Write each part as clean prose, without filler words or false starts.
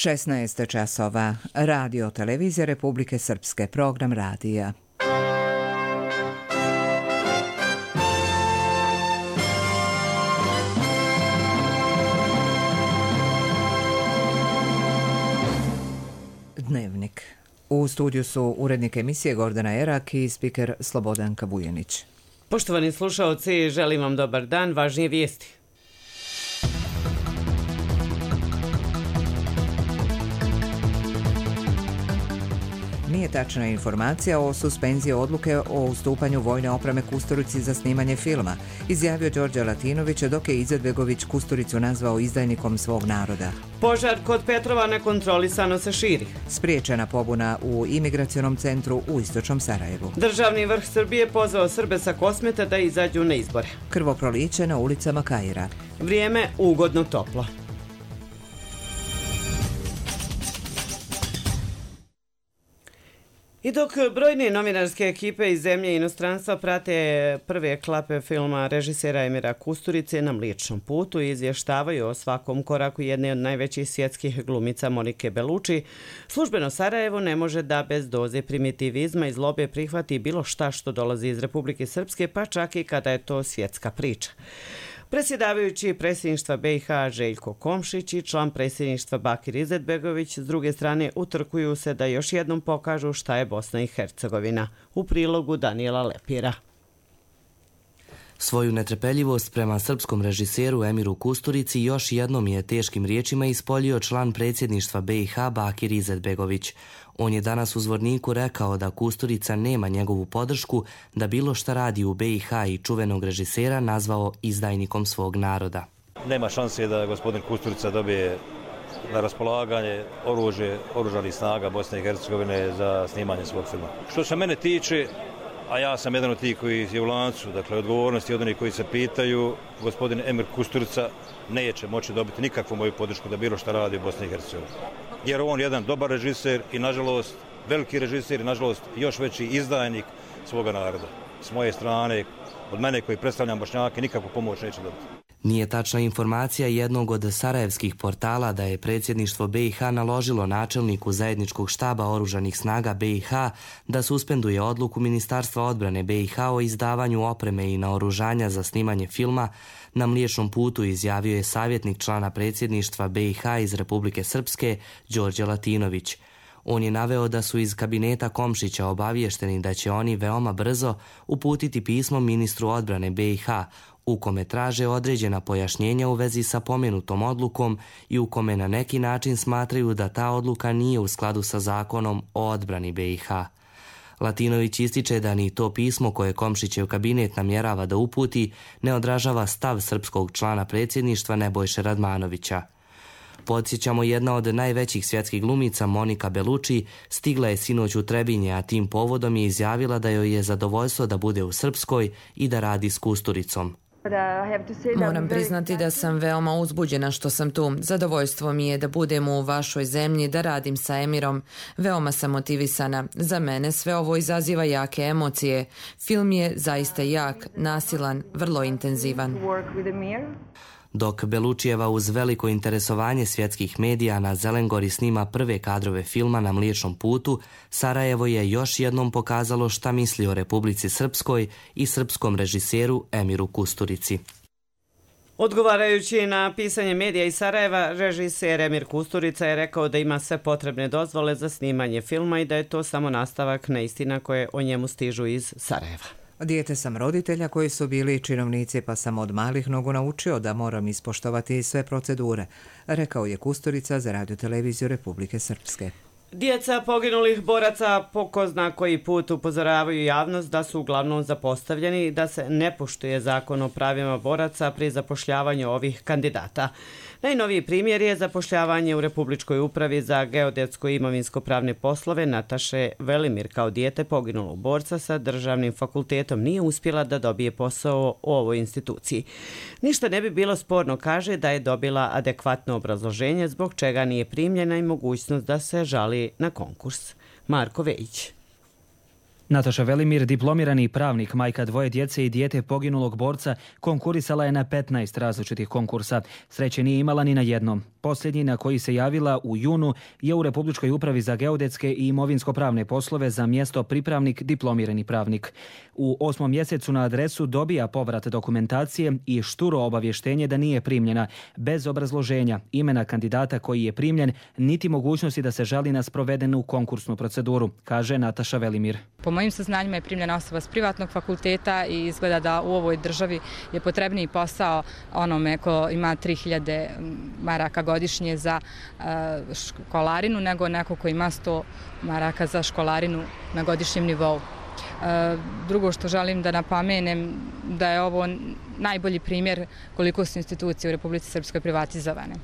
16 časova. Radio televizija Republike Srpske. Program radija. Dnevnik. U studiju su urednik emisije Gordana Erak i spiker Slobodanka Bujanić. Poštovani slušaoci, želim vam dobar dan. Važnije vijesti. Nije tačna informacija o suspenziji odluke o ustupanju vojne opreme Kusturici za snimanje filma, izjavio Đorđe Latinović, dok je Izetbegović Kusturicu nazvao izdajnikom svog naroda. Požar kod Petrova nekontrolisano se širi. Spriječena pobuna u imigracionom centru u istočnom Sarajevu. Državni vrh Srbije pozvao Srbe sa Kosmeta da izađu na izbore. Krvoproliće na ulicama Kaira. Vrijeme ugodno toplo. I dok brojne novinarske ekipe iz zemlje i inostranstva prate prve klape filma režisera Emira Kusturice Na Mliječnom putu i izvještavaju o svakom koraku jedne od najvećih svjetskih glumica Monike Bellucci, službeno Sarajevo ne može da bez doze primitivizma i zlobe prihvati bilo šta što dolazi iz Republike Srpske, pa čak i kada je to svjetska priča. Predsjedavajući predsjedništva BiH Željko Komšić i član predsjedništva Bakir Izetbegović s druge strane utrkuju se da još jednom pokažu šta je Bosna i Hercegovina. U prilogu Danijela Lepira. Svoju netrpeljivost prema srpskom režiseru Emiru Kusturici još jednom je teškim riječima ispoljio član predsjedništva BiH Bakir Izetbegović. On je danas u Zvorniku rekao da Kusturica nema njegovu podršku, da bilo šta radi u BiH i čuvenog režisera nazvao izdajnikom svog naroda. Nema šanse da gospodin Kusturica dobije na raspolaganje oružje oružanih snaga Bosne i Hercegovine za snimanje svog filma. Što se mene tiče, a ja sam jedan od tih koji je u lancu, dakle odgovornosti od onih koji se pitaju, gospodin Emir Kusturica neće moći dobiti nikakvu moju podršku da bilo šta radi u Bosni i Hercegovini. Jer on je jedan dobar režiser i nažalost veliki režiser i nažalost još veći izdajnik svoga naroda. S moje strane, od mene koji predstavljam Bošnjake, nikakvu pomoć neće dobiti. Nije tačna informacija jednog od sarajevskih portala da je predsjedništvo BiH naložilo načelniku zajedničkog štaba oružanih snaga BiH da suspenduje odluku Ministarstva odbrane BiH o izdavanju opreme i naoružanja za snimanje filma Na Mliječnom putu, izjavio je savjetnik člana predsjedništva BiH iz Republike Srpske Đorđe Latinović. On je naveo da su iz kabineta Komšića obaviješteni da će oni veoma brzo uputiti pismo ministru odbrane BiH u kome traže određena pojašnjenja u vezi sa pomenutom odlukom i u kome na neki način smatraju da ta odluka nije u skladu sa zakonom o odbrani BiH. Latinović ističe da ni to pismo koje Komšićev kabinet namjerava da uputi ne odražava stav srpskog člana predsjedništva Nebojše Radmanovića. Podsjećamo, jedna od najvećih svjetskih glumica Monika Bellucci stigla je sinoć u Trebinje, a tim povodom je izjavila da joj je zadovoljstvo da bude u Srpskoj i da radi s Kusturicom. Moram priznati da sam veoma uzbuđena što sam tu. Zadovoljstvo mi je da budem u vašoj zemlji, da radim sa Emirom. Veoma sam motivisana. Za mene sve ovo izaziva jake emocije. Film je zaista jak, nasilan, vrlo intenzivan. Dok Belluccijeva uz veliko interesovanje svjetskih medija na Zelengori snima prve kadrove filma Na Mliječnom putu, Sarajevo je još jednom pokazalo šta misli o Republici Srpskoj i srpskom režiseru Emiru Kusturici. Odgovarajući na pisanje medija iz Sarajeva, režiser Emir Kusturica je rekao da ima sve potrebne dozvole za snimanje filma i da je to samo nastavak neistina koje o njemu stižu iz Sarajeva. Dijete sam roditelja koji su bili činovnici, pa sam od malih nogu naučio da moram ispoštovati sve procedure, rekao je Kusturica za radioteleviziju Republike Srpske. Djeca poginulih boraca po ko zna koji put upozoravaju javnost da su uglavnom zapostavljeni i da se ne poštuje zakon o pravima boraca pri zapošljavanju ovih kandidata. Najnoviji primjer je zapošljavanje u Republičkoj upravi za geodetsko i imovinsko-pravne poslove Nataše Velimir. Kao dijete poginulog borca sa državnim fakultetom nije uspjela da dobije posao u ovoj instituciji. Ništa ne bi bilo sporno, kaže, da je dobila adekvatno obrazloženje zbog čega nije primljena i mogućnost da se žali na konkurs. Marko Vejić. Nataša Velimir, diplomirani pravnik, majka dvoje djece i dijete poginulog borca, konkurisala je na 15 različitih konkursa. Sreće nije imala ni na jednom. Posljednji na koji se javila u junu je u Republičkoj upravi za geodetske i imovinsko-pravne poslove za mjesto pripravnik, diplomirani pravnik. U 8. mjesecu na adresu dobija povrat dokumentacije i šturo obavještenje da nije primljena, bez obrazloženja, imena kandidata koji je primljen, niti mogućnosti da se žali na sprovedenu konkursnu proceduru, kaže Nataša Velimir. Po mojim saznanjima je primljena osoba s privatnog fakulteta i izgleda da u ovoj državi je potrebniji posao onome ko ima 3000 maraka godišnje za školarinu nego neko ko ima 100 maraka za školarinu na godišnjem nivou. Drugo što želim da napomenem da je ovo najbolji primjer koliko su institucije u Republici Srpskoj privatizovane.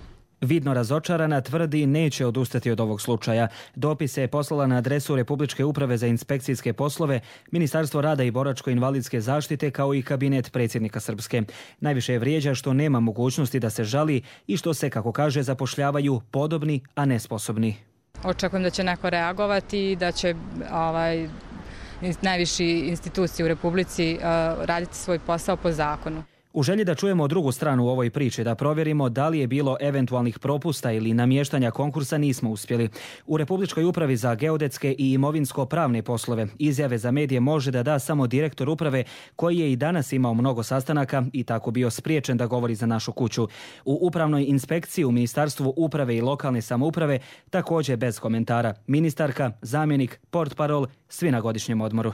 Vidno razočarana tvrdi neće odustati od ovog slučaja. Dopis je poslala na adresu Republičke uprave za inspekcijske poslove, Ministarstvo rada i boračko-invalidske zaštite kao i kabinet predsjednika Srpske. Najviše je vrijeđa što nema mogućnosti da se žali i što se, kako kaže, zapošljavaju podobni, a nesposobni. Očekujem da će neko reagovati i da će najviši institucije u Republici raditi svoj posao po zakonu. U želji da čujemo drugu stranu u ovoj priči, da provjerimo da li je bilo eventualnih propusta ili namještanja konkursa, nismo uspjeli. U Republičkoj upravi za geodetske i imovinsko-pravne poslove izjave za medije može da da samo direktor uprave, koji je i danas imao mnogo sastanaka i tako bio spriječen da govori za našu kuću. U upravnoj inspekciji u Ministarstvu uprave i lokalne samouprave također bez komentara. Ministarka, zamjenik, portparol, svi na godišnjem odmoru.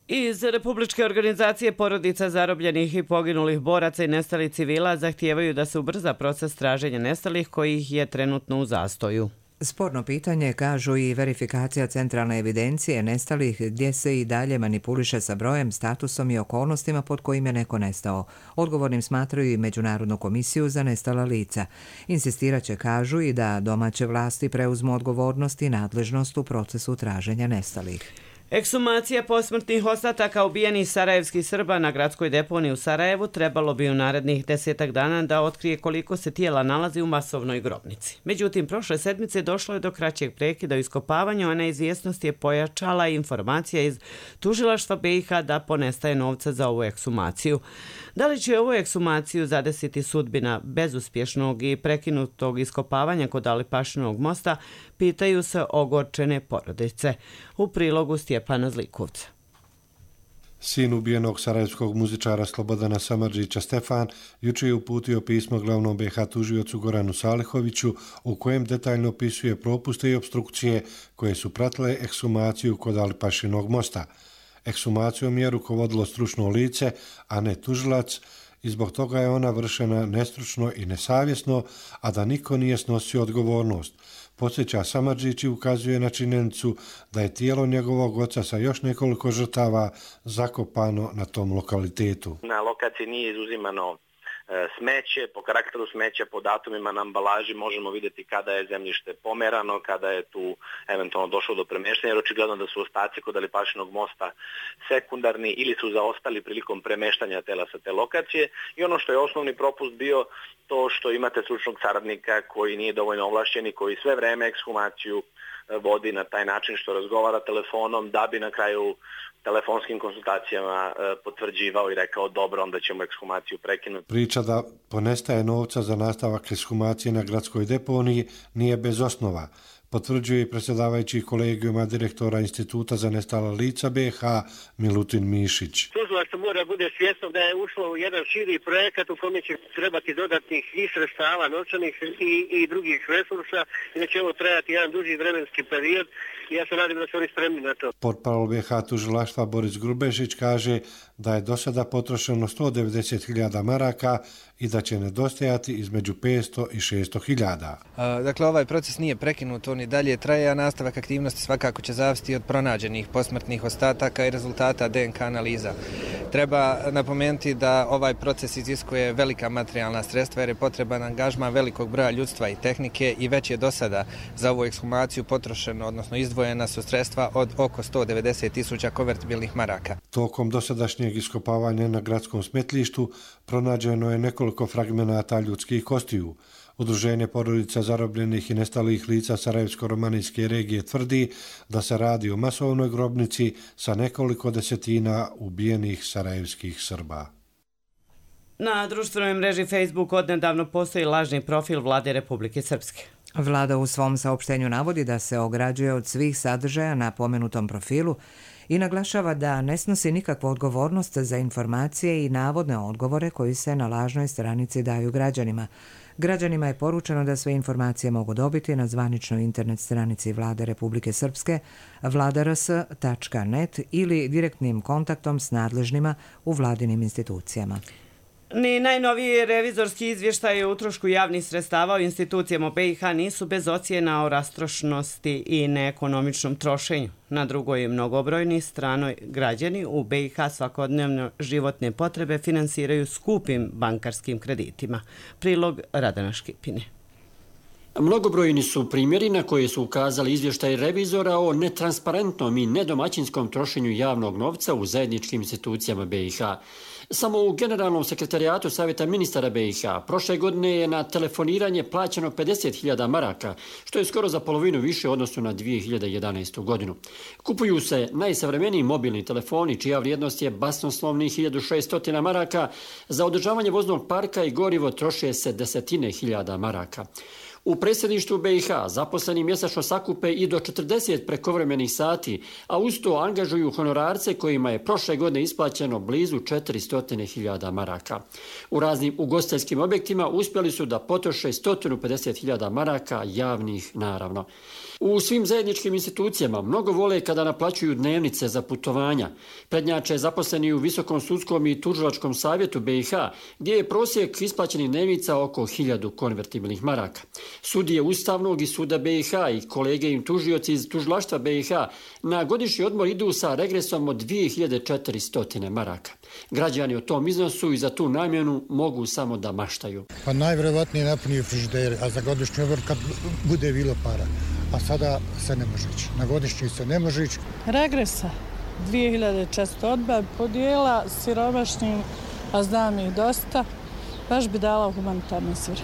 Iz Republičke organizacije porodica zarobljenih i poginulih boraca i nestalih civila zahtijevaju da se ubrza proces traženja nestalih kojih je trenutno u zastoju. Sporno pitanje, kažu, i verifikacija centralne evidencije nestalih gdje se i dalje manipuliše sa brojem, statusom i okolnostima pod kojim je neko nestao. Odgovornim smatraju i Međunarodnu komisiju za nestala lica. Insistirat će, kažu, i da domaće vlasti preuzmu odgovornost i nadležnost u procesu traženja nestalih. Ekshumacija posmrtnih ostataka ubijenih sarajevskih Srba na gradskoj deponiji u Sarajevu trebalo bi u narednih 10 dana da otkrije koliko se tijela nalazi u masovnoj grobnici. Međutim, prošle sedmice došlo je do kraćeg prekida u iskopavanju, a neizvjesnost je pojačala informacija iz tužilaštva BiH da ponestaje novca za ovu ekshumaciju. Da li će ovu ekshumaciju zadesiti sudbina bezuspješnog i prekinutog iskopavanja kod Alipašinovog mosta, pitaju se ogorčene porodice. U prilogu Stjepana Zlikovca. Sin ubijenog sarajevskog muzičara Slobodana Samardžića Stefan jučer je uputio pismo glavnom BiH tužiocu Goranu Salihoviću u kojem detaljno opisuje propuste i opstrukcije koje su pratile ekshumaciju kod Alipašinog mosta. Ekshumacijom je rukovodilo stručno lice, a ne tužilac, i zbog toga je ona vršena nestručno i nesavjesno, a da niko nije snosio odgovornost. Podsjeća Samardžić i ukazuje na činjenicu da je tijelo njegovog oca sa još nekoliko žrtava zakopano na tom lokalitetu. Na lokaciji nije izuzimano smeće, po karakteru smeća, po datumima na ambalaži možemo vidjeti kada je zemljište pomerano, kada je tu eventualno došlo do premještanja, jer očigledno da su ostaci kod Alipašinog mosta sekundarni ili su zaostali prilikom premještanja tela sa te lokacije. I ono što je osnovni propust bio to što imate stručnog saradnika koji nije dovoljno ovlašćen i koji sve vreme ekshumaciju vodi na taj način što razgovara telefonom da bi na kraju telefonskim konsultacijama potvrđivao i rekao dobro, onda ćemo ekshumaciju prekinuti. Priča da ponestaje novca za nastavak ekshumacije na gradskoj deponiji nije bez osnova. Potvrđuje i predsjedavajući kolegijuma direktora Instituta za nestala lica BiH Milutin Mišić. Tužilaštvo mora bude svjesno da je ušlo u jedan širi projekat u kojem će trebati dodatnih i sredstava, novčanih i drugih resursa i da će ovo trajati jedan duži vremenski period i ja se nadam da su oni spremni na to. Portparol BiH tužilaštva Boris Grubešić kaže da je do sada potrošeno 190.000 maraka i da će nedostajati između 500 i 600.000. Dakle, ovaj proces nije prekinut, on i dalje traje, a nastavak aktivnosti svakako će zavisiti od pronađenih posmrtnih ostataka i rezultata DNK analiza. Treba napomenuti da ovaj proces iziskuje velika materijalna sredstva jer je potreban angažman velikog broja ljudstva i tehnike i već je do sada za ovu ekshumaciju potrošeno, odnosno izdvojena su sredstva od oko 190.000 konvertibilnih maraka. Tokom dosadašnjeg iskopavanja na gradskom smetlištu pronađeno je nekoliko fragmenata ljudskih kostiju. Udruženje porodica zarobljenih i nestalih lica Sarajevsko-romanijske regije tvrdi da se radi o masovnoj grobnici sa nekoliko desetina ubijenih sarajevskih Srba. Na društvenoj mreži Facebook odnedavno postoji lažni profil Vlade Republike Srpske. Vlada u svom saopštenju navodi da se ograđuje od svih sadržaja na pomenutom profilu i naglašava da ne snosi nikakvu odgovornost za informacije i navodne odgovore koji se na lažnoj stranici daju građanima. Građanima je poručeno da sve informacije mogu dobiti na zvaničnoj internet stranici Vlade Republike Srpske vladars.net ili direktnim kontaktom s nadležnima u vladinim institucijama. Ni najnoviji revizorski izvještaj o utrošku javnih sredstava u institucijama BiH nisu bez ocjena o rastrošnosti i neekonomičnom trošenju. Na drugoj mnogobrojni stranoj građani u BiH svakodnevno životne potrebe finansiraju skupim bankarskim kreditima. Prilog Radana Škipine. Mnogobrojni su primjeri na koje su ukazali izvještaj revizora o netransparentnom i nedomaćinskom trošenju javnog novca u zajedničkim institucijama BiH. Samo u Generalnom sekretarijatu Savjeta ministara BiH prošle godine je na telefoniranje plaćeno 50.000 maraka, što je skoro za polovinu više u odnosu na 2011. godinu. Kupuju se najsavremeniji mobilni telefoni, čija vrijednost je basnoslovnih 1.600 maraka, za održavanje voznog parka i gorivo troše se desetine hiljada maraka. U predsjedništvu BiH zaposleni mjesečno sakupe i do 40 prekovremenih sati, a uz to angažuju honorarce kojima je prošle godine isplaćeno blizu 400.000 maraka. U raznim ugostiteljskim objektima uspjeli su da potroše 150.000 maraka, javnih naravno. U svim zajedničkim institucijama mnogo vole kada naplaćuju dnevnice za putovanja. Prednjače zaposleni u Visokom sudskom i tužilačkom savjetu BiH, gdje je prosjek isplaćenih dnevnica oko 1000 konvertibilnih maraka. Sudije Ustavnog i Suda BiH i kolege im tužioci iz tužilaštva BiH na godišnji odmor idu sa regresom od 2400 maraka. Građani o tom iznosu i za tu namjenu mogu samo da maštaju. Pa najvjerovatnije napunio frižider, a za godišnji odmor kad bude bilo para. A sada se ne može ići. Na godišnji se ne može ići. Regresa 2400 odba podijela siromašnim, a znam ih dosta, baš bi dala u humanitarne svrhe.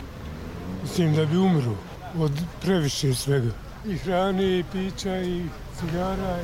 Mislim da bi umru od previše svega. I hrane, i pića, i cigara.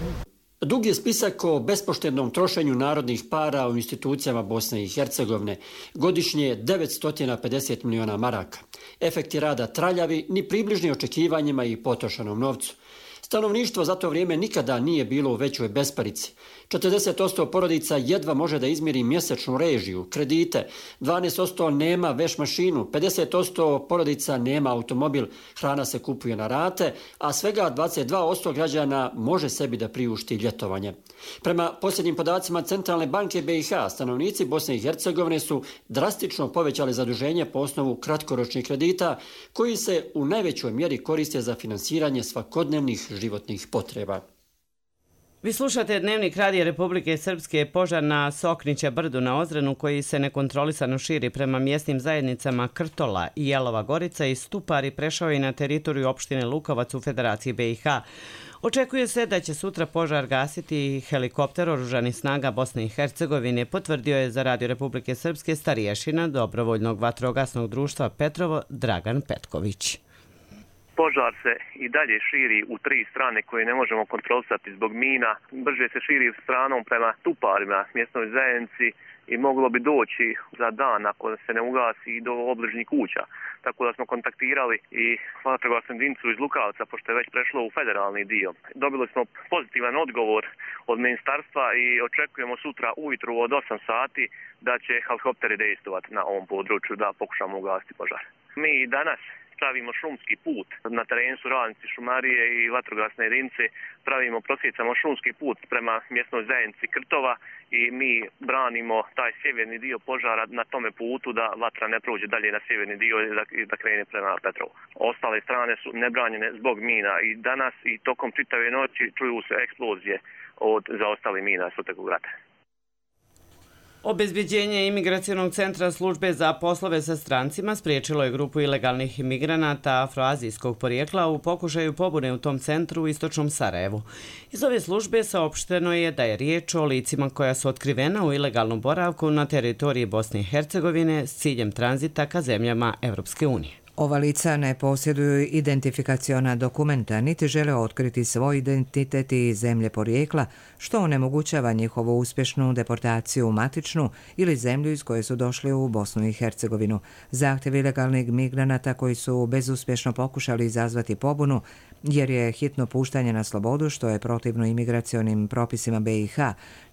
Dug je spisak o bespoštednom trošenju narodnih para u institucijama Bosne i Hercegovine. Godišnje 950 miliona maraka. Efekti rada traljavi, ni približni očekivanjima i potrošenom novcu. Stanovništvo za to vrijeme nikada nije bilo u većoj besparici. 40% porodica jedva može da izmjeri mjesečnu režiju, kredite, 12% nema veš mašinu, 50% porodica nema automobil, hrana se kupuje na rate, a svega 22% građana može sebi da priušti ljetovanje. Prema posljednjim podacima Centralne banke BiH, stanovnici Bosne i Hercegovine su drastično povećali zaduženje po osnovu kratkoročnih kredita, koji se u najvećoj mjeri koriste za finansiranje svakodnevnih životnih potreba. Vi slušate Dnevnik Radija Republike Srpske. Požar na Soknića brdu na Ozrenu, koji se nekontrolisano širi prema mjesnim zajednicama Krtola i Jelova Gorica i Stupari, prešao i na teritoriju opštine Lukovac u Federaciji BiH. Očekuje se da će sutra požar gasiti helikopter oružanih snaga Bosne i Hercegovine, potvrdio je za Radio Republike Srpske starješina Dobrovoljnog vatrogasnog društva Petrovo Dragan Petković. Požar se i dalje širi u 3 strane koje ne možemo kontrolisati zbog mina. Brže se širi stranom prema Tuparima, mjesnoj zajednici, i moglo bi doći za dan ako se ne ugasi i do obližnjih kuća. Tako da smo kontaktirali i vatrogasnu jedinicu iz Lukavca, pošto je već prešlo u federalni dio. Dobili smo pozitivan odgovor od ministarstva i očekujemo sutra ujutru od 8 sati da će helikopteri dejstovati na ovom području da pokušamo ugasiti požar. Mi danas pravimo šumski put. Na terenu su radnici šumarije i vatrogasne jedinice, prosjecamo šumski put prema mjesnoj zajednici Krtova i mi branimo taj sjeverni dio požara na tome putu da vatra ne prođe dalje na sjeverni dio i da krene prema Petrovu. Ostale strane su nebranjene zbog mina i danas i tokom čitave noći čuju se eksplozije od zaostalih mina Sutog rata. Obezbeđenje Imigracionog centra službe za poslove sa strancima spriječilo je grupu ilegalnih imigranata afroazijskog porijekla u pokušaju pobune u tom centru u istočnom Sarajevu. Iz ove službe saopšteno je da je riječ o licima koja su otkrivena u ilegalnom boravku na teritoriji Bosne i Hercegovine s ciljem tranzita ka zemljama Evropske unije. Ova lica ne posjeduju identifikaciona dokumenta, niti žele otkriti svoj identitet i zemlje porijekla, što onemogućava njihovu uspješnu deportaciju u matičnu ili zemlju iz koje su došli u Bosnu i Hercegovinu. Zahtjev ilegalnih migranata koji su bezuspješno pokušali izazvati pobunu, jer je hitno puštanje na slobodu, što je protivno imigracionim propisima BiH,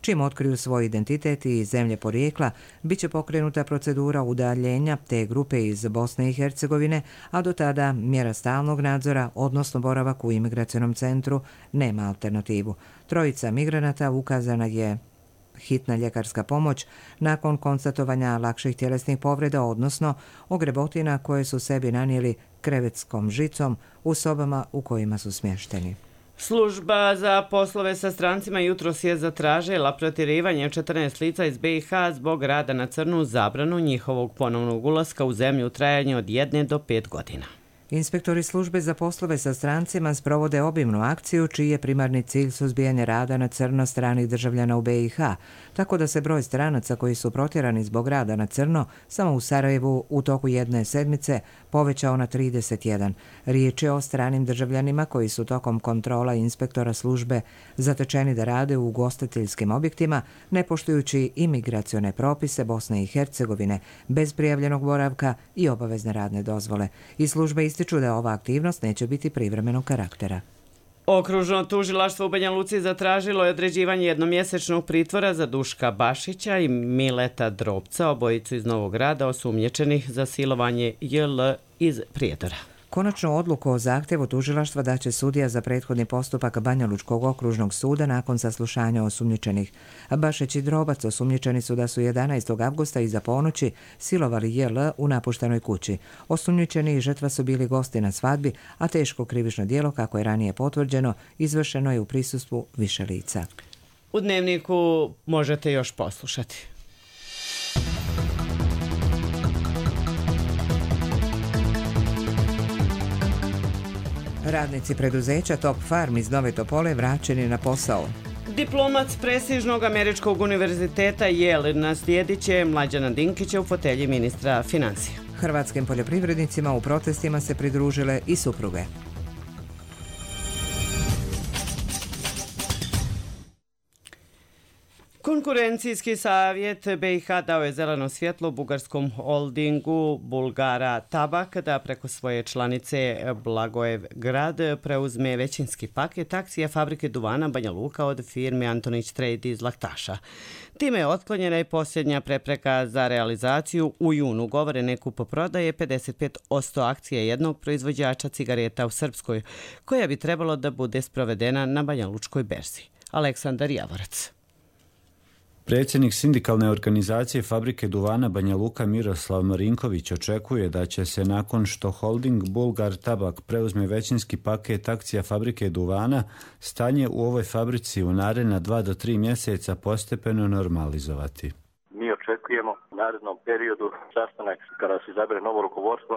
čim otkriju svoj identitet i zemlje porijekla, bit će pokrenuta procedura udaljenja te grupe iz Bosne i Hercegovine, a do tada mjera stalnog nadzora, odnosno boravak u imigracionom centru, nema alternativu. Trojica migranata ukazana je hitna ljekarska pomoć nakon konstatovanja lakših tjelesnih povreda, odnosno ogrebotina koje su sebi nanijeli krevetskom žicom u sobama u kojima su smješteni. Služba za poslove sa strancima jutros je zatražila protjerivanje 14 lica iz BiH zbog rada na crnu, zabranu njihovog ponovnog ulaska u zemlju u trajanju od 1 do 5 godina. Inspektori službe za poslove sa strancima sprovode obimnu akciju čiji je primarni cilj suzbijanje rada na crno stranih državljana u BiH, tako da se broj stranaca koji su protjerani zbog rada na crno samo u Sarajevu u toku jedne sedmice povećao na 31. Riječ je o stranim državljanima koji su tokom kontrola inspektora službe zatečeni da rade u ugostiteljskim objektima, ne poštujući imigracione propise Bosne i Hercegovine, bez prijavljenog boravka i obavezne radne dozvole. I službe ističu da ova aktivnost neće biti privremenog karaktera. Okružno tužilaštvo u Banja Luci zatražilo je određivanje jednomjesečnog pritvora za Duška Bašića i Mileta Drobca, obojicu iz Novog Grada, osumnjičenih za silovanje JL iz Prijedora. Konačnu odluku o zahtjevu tužilaštva daće sudija za prethodni postupak Banjalučkog okružnog suda nakon saslušanja osumnjičenih. Bašić i Drobac osumnjičeni su da su 11. avgusta iza ponoći silovali JL u napuštenoj kući. Osumnjičeni i žrtva su bili gosti na svadbi, a teško krivično djelo, kako je ranije potvrđeno, izvršeno je u prisustvu više lica. U Dnevniku možete još poslušati. Radnici preduzeća Top Farm iz Nove Topole vraćeni na posao. Diplomat s prestižnog američkog univerziteta Yale naslijedit će Mlađana Dinkića u fotelji ministra financija. Hrvatskim poljoprivrednicima u protestima se pridružile i supruge. Konkurencijski savjet BiH dao je zeleno svjetlo bugarskom holdingu Bulgara Tabak da preko svoje članice Blagojev grad preuzme većinski paket akcija fabrike duvana Banja Luka od firme Antonić Trade iz Laktaša. Time je otklonjena i posljednja prepreka za realizaciju u junu ugovorene kupoprodaje 55% akcije jednog proizvođača cigareta u Srpskoj, koja bi trebalo da bude sprovedena na Banja Lučkoj berzi. Aleksandar Javorac. Predsjednik sindikalne organizacije fabrike duvana Banja Luka Miroslav Marinković očekuje da će se nakon što holding Bulgar Tabak preuzme većinski paket akcija fabrike duvana, stanje u ovoj fabrici u naredna 2 do 3 mjeseca postepeno normalizovati. Mi očekujemo u narednom periodu sastanak kada se izabere novo rukovodstvo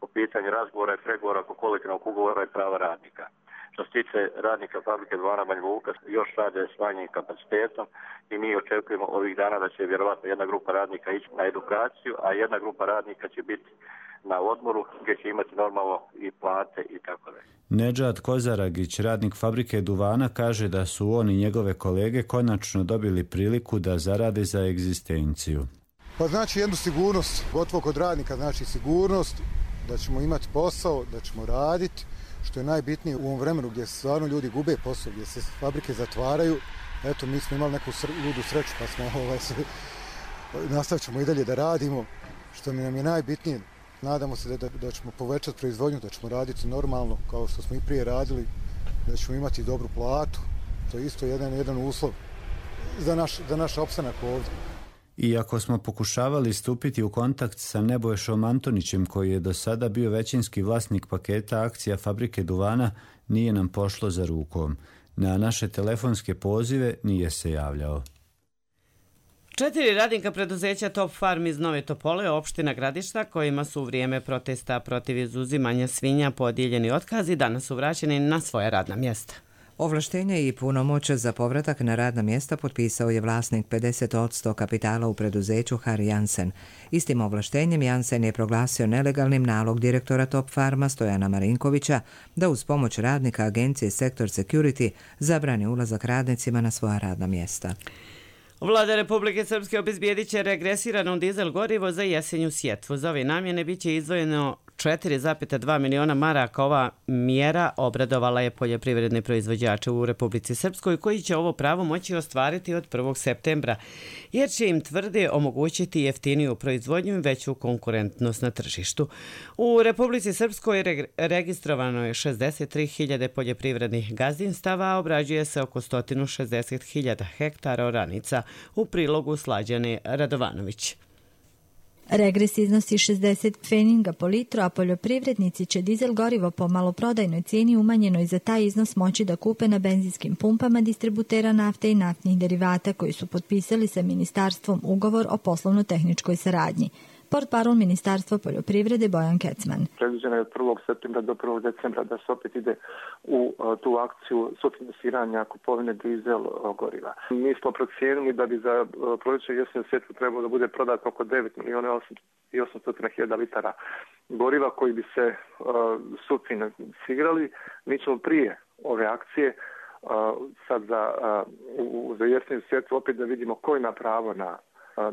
po pitanju razgovora i pregovora oko kolektivnog ugovora i prava radnika. Što se tiče radnika fabrike duvana Banja Luka, još rade s manjim kapacitetom i mi očekujemo ovih dana da će vjerovatno jedna grupa radnika ići na edukaciju, a jedna grupa radnika će biti na odmoru gdje će imati normalno i plate i tako dalje. Nedžad Kozaragić, radnik fabrike duvana, kaže da su on i njegove kolege konačno dobili priliku da zarade za egzistenciju. Pa znači jednu sigurnost, gotovo kod radnika znači sigurnost, da ćemo imati posao, da ćemo raditi, što je najbitnije u ovom vremenu gdje stvarno ljudi gube posao, gdje se fabrike zatvaraju. Eto, mi smo imali neku ludu sreću pa smo nastavit ćemo i dalje da radimo, što nam je najbitnije. Nadamo se da ćemo povećati proizvodnju, da ćemo raditi normalno kao što smo i prije radili, da ćemo imati dobru platu. To je isto jedan uslov za naš opstanak ovdje. Iako smo pokušavali stupiti u kontakt sa Nebojšom Antonićem, koji je do sada bio većinski vlasnik paketa akcija fabrike duvana, nije nam pošlo za rukom. Na naše telefonske pozive nije se javljao. 4 radnika preduzeća Top Farm iz Nove Topole, opština Gradišta, kojima su u vrijeme protesta protiv izuzimanja svinja podijeljeni otkazi, danas su vraćeni na svoja radna mjesta. Ovlaštenje i punomoć za povratak na radna mjesta potpisao je vlasnik 50% kapitala u preduzeću Harry Jansen. Istim ovlaštenjem Jansen je proglasio nelegalnim nalog direktora Top Farma Stojana Marinkovića da uz pomoć radnika agencije Sektor Security zabrani ulazak radnicima na svoja radna mjesta. Vlada Republike Srpske obezbijedit će regresirano dizel gorivo za jesenju sjetvu. Za ove namjene bit će izdvojeno 4,2 miliona maraka. Ova mjera obradovala je poljoprivredne proizvođače u Republici Srpskoj koji će ovo pravo moći ostvariti od 1. septembra, jer će im tvrde omogućiti jeftiniju proizvodnju i veću konkurentnost na tržištu. U Republici Srpskoj registrovano je 63.000 poljoprivrednih gazdinstava, a obrađuje se oko 160.000 hektara oranica. U prilogu Slađane Radovanović. Regres iznosi 60 pfeninga po litru, a poljoprivrednici će dizel gorivo po maloprodajnoj cijeni umanjenoj za taj iznos moći da kupe na benzinskim pumpama distributera nafte i naftnih derivata koji su potpisali sa ministarstvom ugovor o poslovno-tehničkoj saradnji. Portparol Ministarstva poljoprivrede Bojan Kecman. Predviđeno je od 1. septembra do 1. decembra da se opet ide u tu akciju sufinansiranja kupovine dizel goriva. Mi smo procijenili da bi za proljeće jesenu sjetvu trebalo da bude prodato oko 9.800.000 litara goriva koji bi se sufinansirali. Mi ćemo prije ove akcije sad za jesenu sjetvu opet da vidimo ko ima pravo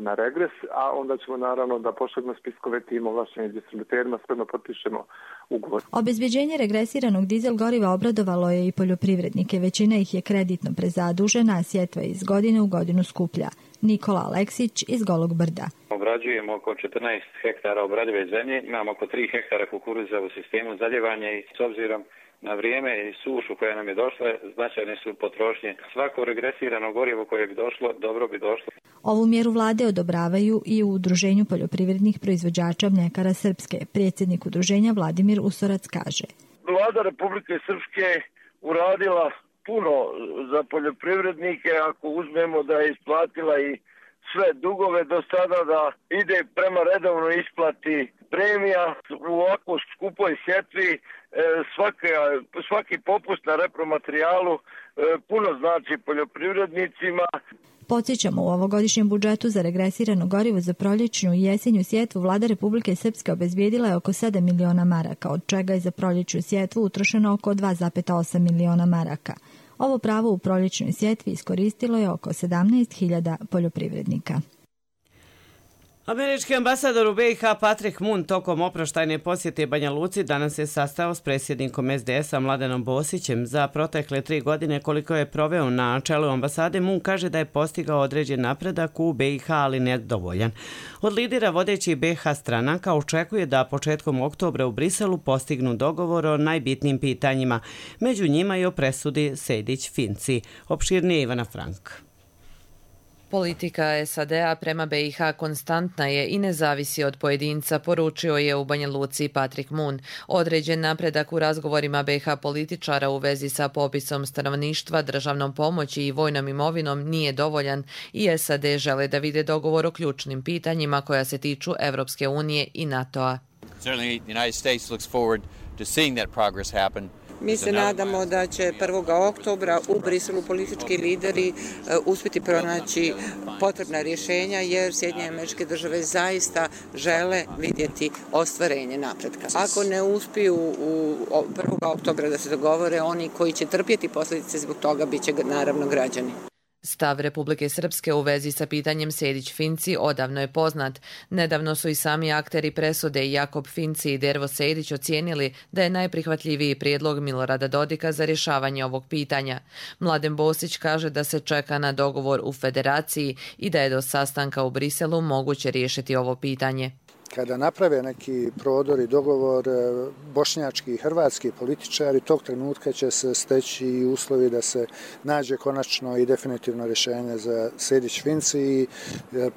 na regres, a onda ćemo naravno da pošaljemo spiskove tim ovlaštenim distributerima, s kojima potpišemo ugovor. Obezbeđenje regresiranog dizel goriva obradovalo je i poljoprivrednike. Većina ih je kreditno prezadužena, a sjetva iz godine u godinu skuplja. Nikola Aleksić iz Golog Brda. Obrađujemo oko 14 hektara obradive zemlje, imamo oko 3 hektara kukuruza u sistemu zaljevanja i s obzirom na vrijeme i sušu koja nam je došla, značajne su potrošnje. Svako regresirano gorivo koje bi došlo, dobro bi došlo. Ovu mjeru vlade odobravaju i u Udruženju poljoprivrednih proizvođača mljekara Srpske. Predsjednik udruženja Vladimir Usorac kaže: Vlada Republike Srpske uradila puno za poljoprivrednike ako uzmemo da je isplatila i sve dugove do sada, da ide prema redovnoj isplati premija u ovako skupoj sjetvi. Svaki popust na repromaterijalu puno znači poljoprivrednicima. Podsjećamo, u ovogodišnjem budžetu za regresirano gorivo za proljećnu i jesenju sjetvu Vlada Republike Srpske obezbijedila je oko 7 miliona maraka, od čega je za proljećnu sjetvu utrošeno oko 2,8 miliona maraka. Ovo pravo u proljećnoj sjetvi iskoristilo je oko 17.000 poljoprivrednika. Američki ambasador u BiH Patrick Moon tokom oproštajne posjete Banja Luci danas je sastao s predsjednikom SDS-a Mladenom Bosićem. Za protekle 3 godine koliko je proveo na čelu ambasade, Moon kaže da je postigao određen napredak u BiH, ali nedovoljan. Od lidera vodećih BiH stranaka očekuje da početkom oktobra u Briselu postignu dogovor o najbitnijim pitanjima, među njima i o presudi Sejdić-Finci. Opširnije Ivana Frank. Politika SAD-a prema BiH konstantna je i ne zavisi od pojedinca, poručio je u Banja Luci Patrick Moon. Određen napredak u razgovorima BiH političara u vezi sa popisom stanovništva, državnom pomoći i vojnom imovinom nije dovoljan i SAD žele da vide dogovor o ključnim pitanjima koja se tiču Evropske unije i NATO-a. Mi se nadamo da će 1. oktobra u Briselu politički lideri uspjeti pronaći potrebna rješenja, jer Sjedinjene Američke Države zaista žele vidjeti ostvarenje napretka. Ako ne uspiju u 1. oktobra da se dogovore, oni koji će trpjeti posljedice zbog toga bit će naravno građani. Stav Republike Srpske u vezi sa pitanjem Sejdić-Finci odavno je poznat. Nedavno su i sami akteri presude Jakob Finci i Dervo Sejdić ocijenili da je najprihvatljiviji prijedlog Milorada Dodika za rješavanje ovog pitanja. Mladen Bosić kaže da se čeka na dogovor u Federaciji i da je do sastanka u Briselu moguće riješiti ovo pitanje. Kada naprave neki prodor i dogovor, bošnjački i hrvatski političari, tog trenutka će se steći i uslovi da se nađe konačno i definitivno rješenje za Sejdić-Finci i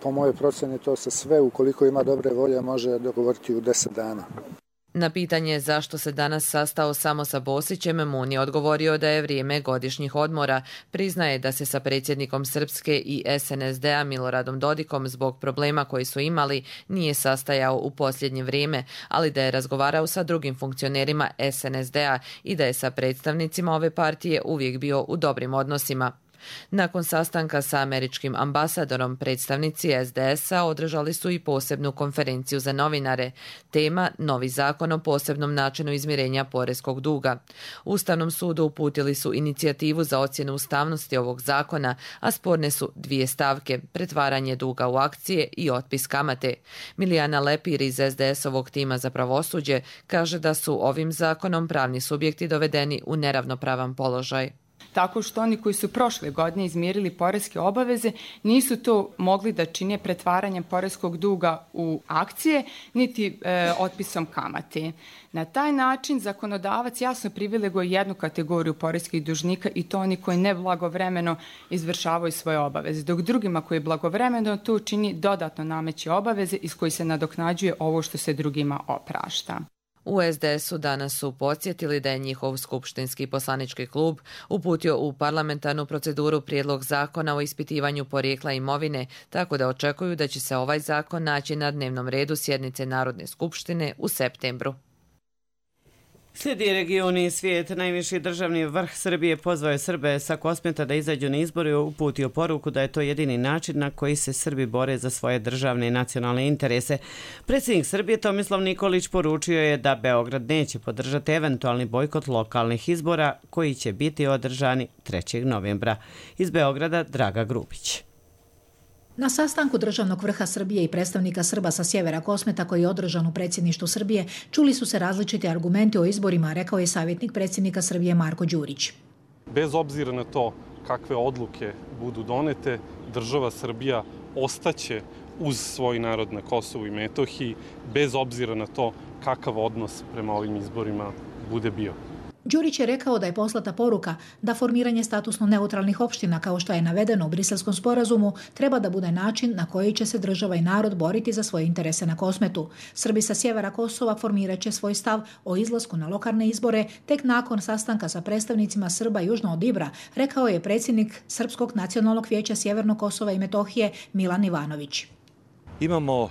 po mojoj procjeni to se sve, ukoliko ima dobre volje, može dogovoriti u 10 dana. Na pitanje zašto se danas sastao samo sa Bosićem, Mun je odgovorio da je vrijeme godišnjih odmora. Priznaje da se sa predsjednikom Srpske i SNSD-a Miloradom Dodikom zbog problema koji su imali nije sastajao u posljednje vrijeme, ali da je razgovarao sa drugim funkcionerima SNSD-a i da je sa predstavnicima ove partije uvijek bio u dobrim odnosima. Nakon sastanka sa američkim ambasadorom, predstavnici SDS-a održali su i posebnu konferenciju za novinare. Tema – novi zakon o posebnom načinu izmirenja poreskog duga. Ustavnom sudu uputili su inicijativu za ocjenu ustavnosti ovog zakona, a sporne su dvije stavke – pretvaranje duga u akcije i otpis kamate. Milijana Lepir iz SDS-ovog tima za pravosuđe kaže da su ovim zakonom pravni subjekti dovedeni u neravnopravan položaj. Tako što oni koji su prošle godine izmirili poreske obaveze nisu to mogli da čine pretvaranjem poreskog duga u akcije, niti otpisom kamate. Na taj način zakonodavac jasno privileguje jednu kategoriju poreskih dužnika i to oni koji neblagovremeno izvršavaju svoje obaveze, dok drugima koji blagovremeno to čini dodatno nameće obaveze iz kojih se nadoknađuje ovo što se drugima oprašta. U SDS-u danas su podsjetili da je njihov skupštinski poslanički klub uputio u parlamentarnu proceduru prijedlog zakona o ispitivanju porijekla imovine, tako da očekuju da će se ovaj zakon naći na dnevnom redu sjednice Narodne skupštine u septembru. Slijedi regioni i svijet. Najviši državni vrh Srbije pozvao je Srbe sa Kosmeta da izađu na izbore i uputio poruku da je to jedini način na koji se Srbi bore za svoje državne i nacionalne interese. Predsjednik Srbije Tomislav Nikolić poručio je da Beograd neće podržati eventualni bojkot lokalnih izbora koji će biti održani 3. novembra. Iz Beograda Draga Grubić. Na sastanku državnog vrha Srbije i predstavnika Srba sa sjevera Kosmeta koji je održan u predsjedništvu Srbije čuli su se različiti argumenti o izborima, rekao je savjetnik predsjednika Srbije Marko Đurić. Bez obzira na to kakve odluke budu donete, država Srbija ostaće uz svoj narod na Kosovu i Metohiji, bez obzira na to kakav odnos prema ovim izborima bude bio. Đurić je rekao da je poslata poruka da formiranje statusno neutralnih opština, kao što je navedeno u Briselskom sporazumu, treba da bude način na koji će se država i narod boriti za svoje interese na Kosmetu. Srbi sa sjevera Kosova formirat će svoj stav o izlasku na lokalne izbore tek nakon sastanka sa predstavnicima Srba južno od Ibra, rekao je predsjednik Srpskog nacionalnog vijeća Sjevernog Kosova i Metohije Milan Ivanović. Imamo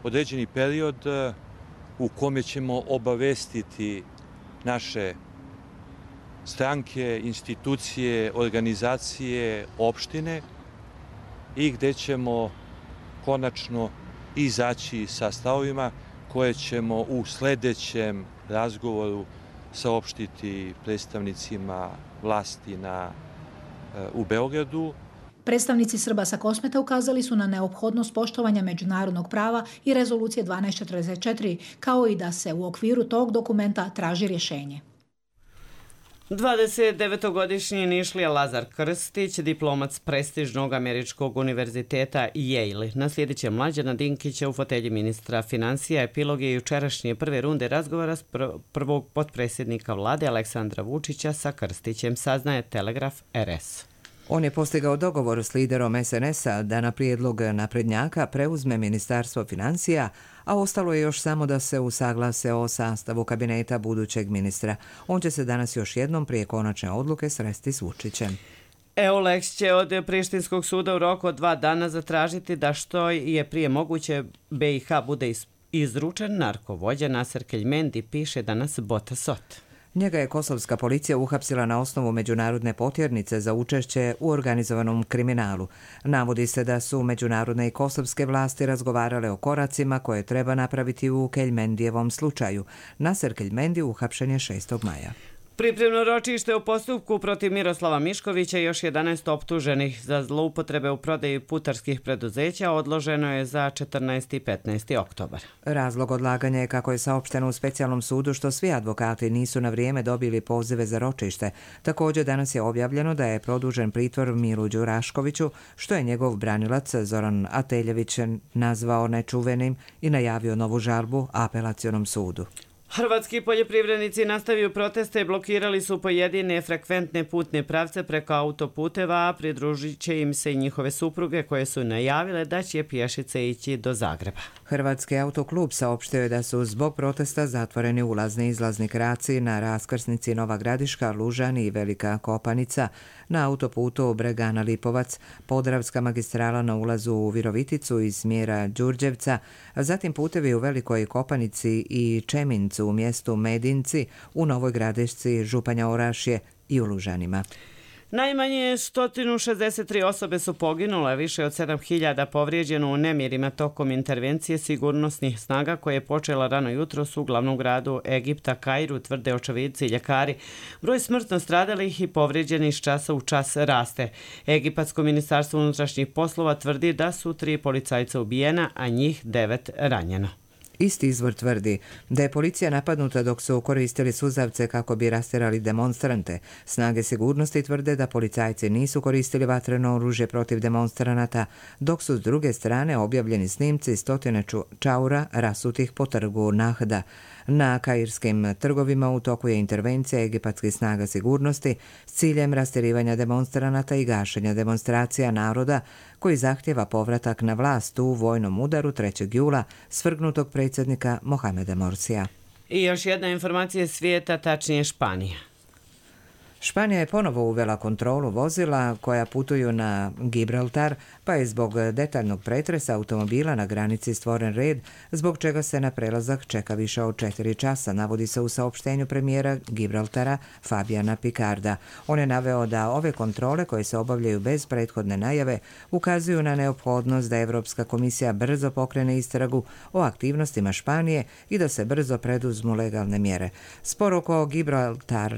određeni period u kome ćemo obavestiti naše stranke, institucije, organizacije, opštine i gdje ćemo konačno izaći sa stavovima koje ćemo u sljedećem razgovoru saopštiti predstavnicima vlasti u Beogradu. Predstavnici Srba sa Kosmeta ukazali su na neophodnost poštovanja međunarodnog prava i rezolucije 1244, kao i da se u okviru tog dokumenta traži rješenje. 29-godišnji Nišlija Lazar Krstić, diplomat s prestižnog američkog univerziteta Yale, naslijedit će Mlađana Dinkića u fotelji ministra financija. Epilog je jučerašnje prve runde razgovora s prvog potpredsjednika vlade Aleksandra Vučića sa Krstićem, saznaje Telegraf RS. On je postigao dogovor s liderom SNS-a da na prijedlog naprednjaka preuzme Ministarstvo financija, a ostalo je još samo da se usaglase o sastavu kabineta budućeg ministra. On će se danas još jednom prije konačne odluke sresti s Vučićem. EULEX će od Prištinskog suda u roku od 2 dana zatražiti da što je prije moguće BiH bude izručen narkovođa Naser Keljmendi, piše danas Bota Sot. Njega je kosovska policija uhapsila na osnovu međunarodne potjernice za učešće u organizovanom kriminalu. Navodi se da su međunarodne i kosovske vlasti razgovarale o koracima koje treba napraviti u Keljmendijevom slučaju. Naser Keljmendi uhapšen je 6. maja. Pripremno ročište u postupku protiv Miroslava Miškovića i još 11 optuženih za zloupotrebe u prodaji putarskih preduzeća odloženo je za 14. i 15. oktobar. Razlog odlaganja je, kako je saopšteno u specijalnom sudu, što svi advokati nisu na vrijeme dobili pozive za ročište. Također danas je objavljeno da je produžen pritvor Milu Đuraškoviću, što je njegov branilac Zoran Ateljević nazvao nečuvenim i najavio novu žalbu apelacionom sudu. Hrvatski poljoprivrednici nastavio proteste i blokirali su pojedine frekventne putne pravce preko autoputeva, a pridružit će im se i njihove supruge koje su najavile da će pješice ići do Zagreba. Hrvatski autoklub saopštio je da su zbog protesta zatvoreni ulazni i izlazni kraci na raskrsnici Nova Gradiška, Lužani i Velika Kopanica, na autoputu Bregana-Lipovac, Podravska magistrala na ulazu u Viroviticu iz smjera Đurđevca, a zatim putevi u Velikoj Kopanici i Čemincu u mjestu Medinci, u Novoj Gradišci, Županja Orašje i u Lužanima. Najmanje 163 osobe su poginule, više od 7.000 povrijeđeno u nemirima tokom intervencije sigurnosnih snaga koje je počela rano jutros u glavnom gradu Egipta, Kairu, tvrde očevidci i ljekari. Broj smrtno stradalih i povrijeđenih iz časa u čas raste. Egipatsko ministarstvo unutrašnjih poslova tvrdi da su 3 policajca ubijena, a njih 9 ranjeno. Isti izvor tvrdi da je policija napadnuta dok su koristili suzavce kako bi rastjerali demonstrante. Snage sigurnosti tvrde da policajci nisu koristili vatreno oružje protiv demonstranata, dok su s druge strane objavljeni snimci stotine čaura rasutih po trgu Nahda. Na kairskim trgovima u toku je intervencija egipatskih snaga sigurnosti s ciljem rastjerivanja demonstranata i gašenja demonstracija naroda koji zahtjeva povratak na vlast u vojnom udaru 3. jula svrgnutog predsjednika Mohameda Morsija. I još jedna informacija svijeta, tačnije Španija. Španija je ponovo uvela kontrolu vozila koja putuju na Gibraltar, pa je zbog detaljnog pretresa automobila na granici stvoren red, zbog čega se na prelazak čeka više od 4 časa, navodi se u saopštenju premijera Gibraltara Fabiana Picarda. On je naveo da ove kontrole koje se obavljaju bez prethodne najave ukazuju na neophodnost da Europska komisija brzo pokrene istragu o aktivnostima Španije i da se brzo preduzmu legalne mjere. Spor oko Gibraltar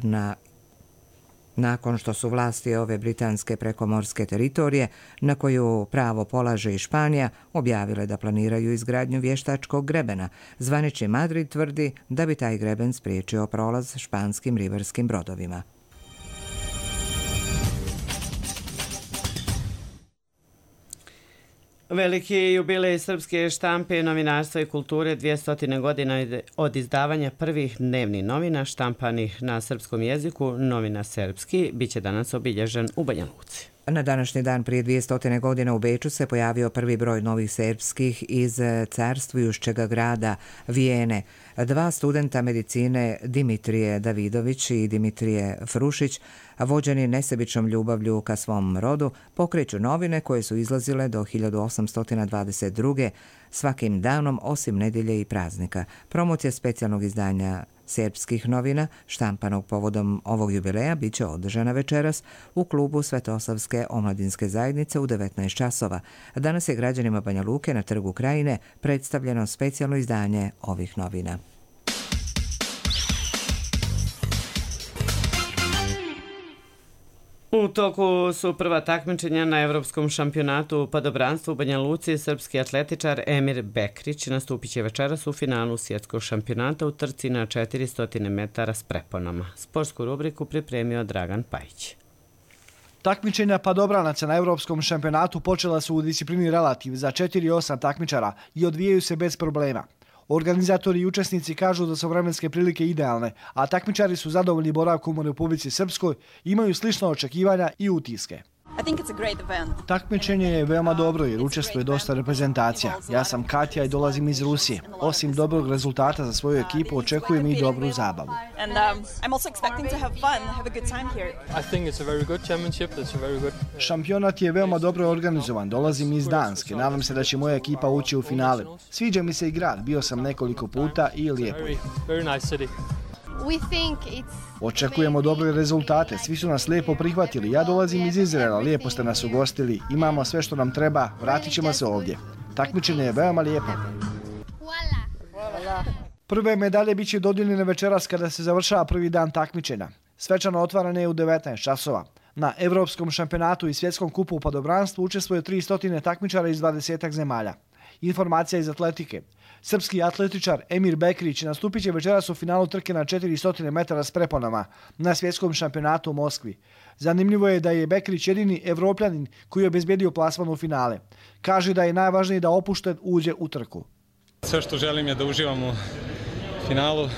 nakon što su vlasti ove britanske prekomorske teritorije, na koju pravo polaže i Španija, objavile da planiraju izgradnju vještačkog grebena. Zvanični Madrid tvrdi da bi taj greben spriječio prolaz španskim ribarskim brodovima. Veliki jubilej srpske štampe, novinarstva i kulture, 200 godina od izdavanja prvih dnevnih novina štampanih na srpskom jeziku, Novina Serbski, bit će danas obilježen u Banja Luci. Na današnji dan prije 200 godina u Beču se pojavio prvi broj novih serbskih iz carstvujušćega grada Vijene. 2 studenta medicine, Dimitrije Davidović i Dimitrije Frušić, vođeni nesebičnom ljubavlju ka svom rodu, pokreću novine koje su izlazile do 1822. svakim danom osim nedjelje i praznika. Promocija specijalnog izdanja serbskih novina, štampanog povodom ovog jubileja, bit će održana večeras u klubu Svetosavske omladinske zajednice u 19 časova. Danas je građanima Banja Luke na Trgu Krajine predstavljeno specijalno izdanje ovih novina. U toku su prva takmičenja na Evropskom šampionatu u padobranstvu u Banja Luci. Srpski atletičar Emir Bekrić nastupit će večeras u finalu svjetskog šampionata u trci na 400 metara s preponama. Sportsku rubriku pripremio Dragan Pajić. Takmičenja padobranaca na Evropskom šampionatu počela su u disciplini relativ za 4-8 takmičara i odvijaju se bez problema. Organizatori i učesnici kažu da su vremenske prilike idealne, a takmičari su zadovoljni boravkom u Republici Srpskoj i imaju slična očekivanja i utiske. Takmičenje je veoma dobro jer učestvuje dosta reprezentacija. Ja sam Katja i dolazim iz Rusije. Osim dobrog rezultata za svoju ekipu, očekujem i dobru zabavu. Šampionat je veoma dobro organizovan. Dolazim iz Danske. Nadam se da će moja ekipa ući u finale. Sviđa mi se i grad. Bio sam nekoliko puta i lijepo je. Očekujemo dobre rezultate, svi su nas lijepo prihvatili. Ja dolazim iz Izraela, lijepo ste nas ugostili, imamo sve što nam treba, vratit ćemo se ovdje. Takmičenje je veoma lijepo. Prve medalje bit će dodijeljene večeras kada se završava prvi dan takmičenja. Svečano otvaranje je u 19 časova. Na Evropskom šampionatu i svjetskom kupu u padobranstvu učestvuje 300 takmičara iz 20 zemalja. Informacija iz atletike. Srpski atletičar Emir Bekrić nastupit će večeras u finalu trke na 400 metara s preponama na svjetskom šampionatu u Moskvi. Zanimljivo je da je Bekrić jedini Evropljanin koji je obezbedio plasman u finale. Kaže da je najvažnije da opušten uđe u trku. Sve što želim je da uživam u finalu,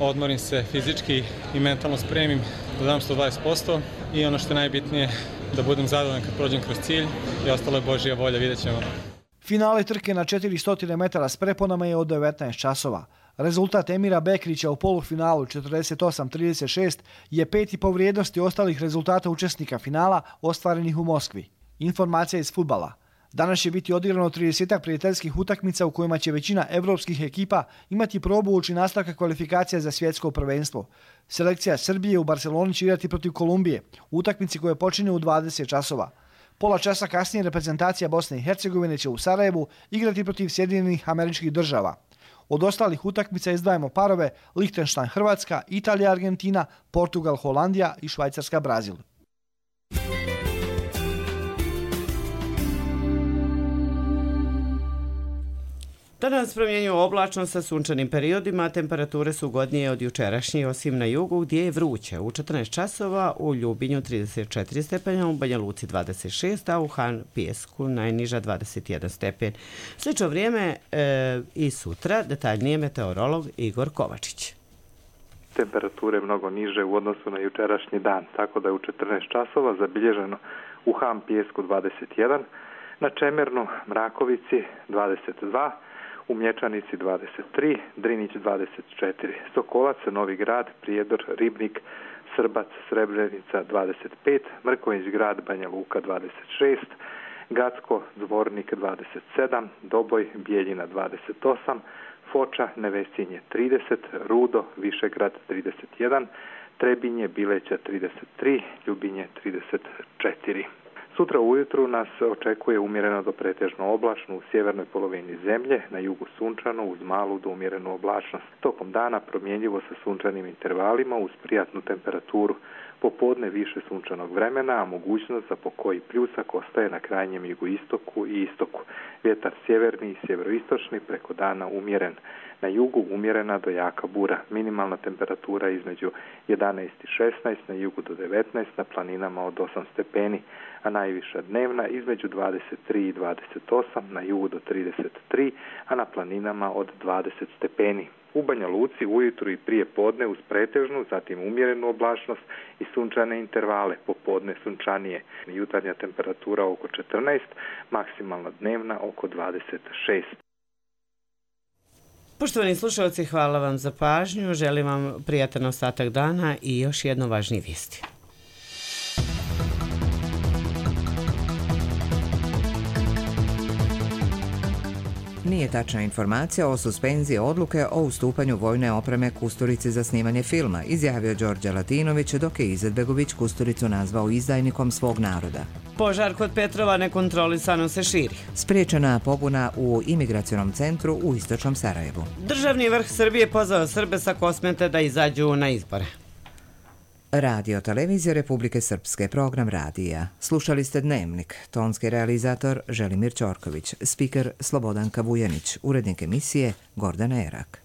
odmorim se fizički i mentalno spremim da dam 120% i ono što je najbitnije da budem zadovoljan kad prođem kroz cilj i ostalo je Božja volja, vidjet ćemo. Finale trke na 400 metara s preponama je od 19 časova. Rezultat Emira Bekrića u polufinalu 48-36 je 5. po vrijednosti ostalih rezultata učesnika finala ostvarenih u Moskvi. Informacija iz fudbala. Danas će biti odigrano 30 prijateljskih utakmica u kojima će većina evropskih ekipa imati probu uoči nastavka kvalifikacija za svjetsko prvenstvo. Selekcija Srbije u Barceloni će igrati protiv Kolumbije, utakmici koje počinju u 20 časova. Pola časa kasnije reprezentacija Bosne i Hercegovine će u Sarajevu igrati protiv Sjedinjenih Američkih Država. Od ostalih utakmica izdvajamo parove Lichtenstein Hrvatska, Italija Argentina, Portugal Holandija i Švajcarska Brazil. Danas promjenjuju oblačno sa sunčanim periodima, temperature su ugodnije od jučerašnje, osim na jugu gdje je vruće. U 14 časova u Ljubinju 34 stepenja, u Banja Luci 26, a u Han Pijesku najniža 21 stepen. Slično vrijeme i sutra, detaljnije meteorolog Igor Kovačić. Temperature mnogo niže u odnosu na jučerašnji dan, tako da je u 14 časova zabilježeno u Han Pijesku 21, na Čemernu, Mrakovici 22, u Mlječanici 23, Drinić 24, Sokolac, Novi Grad, Prijedor, Ribnik, Srbac, Srebrenica 25, Mrkonjić Grad, Banja Luka 26, Gacko, Zvornik 27, Doboj, Bijeljina 28, Foča, Nevesinje 30, Rudo, Višegrad 31, Trebinje, Bileća 33, Ljubinje 34. Sutra ujutru nas očekuje umjereno do pretežno oblačno u sjevernoj polovini zemlje, na jugu sunčano uz malu do umjerenu oblačnost. Tokom dana promjenjivo sa sunčanim intervalima uz prijatnu temperaturu. Popodne više sunčanog vremena, a mogućnost za pokoji pljusak ostaje na krajnjem jugoistoku i istoku. Vjetar sjeverni i sjeveroistočni preko dana umjeren. Na jugu umjerena do jaka bura. Minimalna temperatura između 11 i 16, na jugu do 19, na planinama od 8 stepeni, a najviša dnevna između 23 i 28, na jugu do 33, a na planinama od 20 stepeni. U Banja Luci ujutru i prije podne uz pretežnu, zatim umjerenu oblačnost i sunčane intervale, popodne sunčanije. Jutarnja temperatura oko 14, maksimalna dnevna oko 26. Poštovani slušalci, hvala vam za pažnju, želim vam prijatan ostatak dana i još jedno važnije vijesti. Nije tačna informacija o suspenziji odluke o ustupanju vojne opreme Kusturici za snimanje filma, izjavio Đorđe Latinović, dok je Izetbegović Kusturicu nazvao izdajnikom svog naroda. Požar kod Petrova nekontrolisano se širi. Spriječena pobuna u imigracionom centru u istočnom Sarajevu. Državni vrh Srbije pozvao Srbe sa Kosmete da izađu na izbore. Radio Televizija Republike Srpske, program radija. Slušali ste Dnevnik, tonski realizator Želimir Ćorković, spiker Slobodanka Vujanić, urednik emisije Gordana Erak.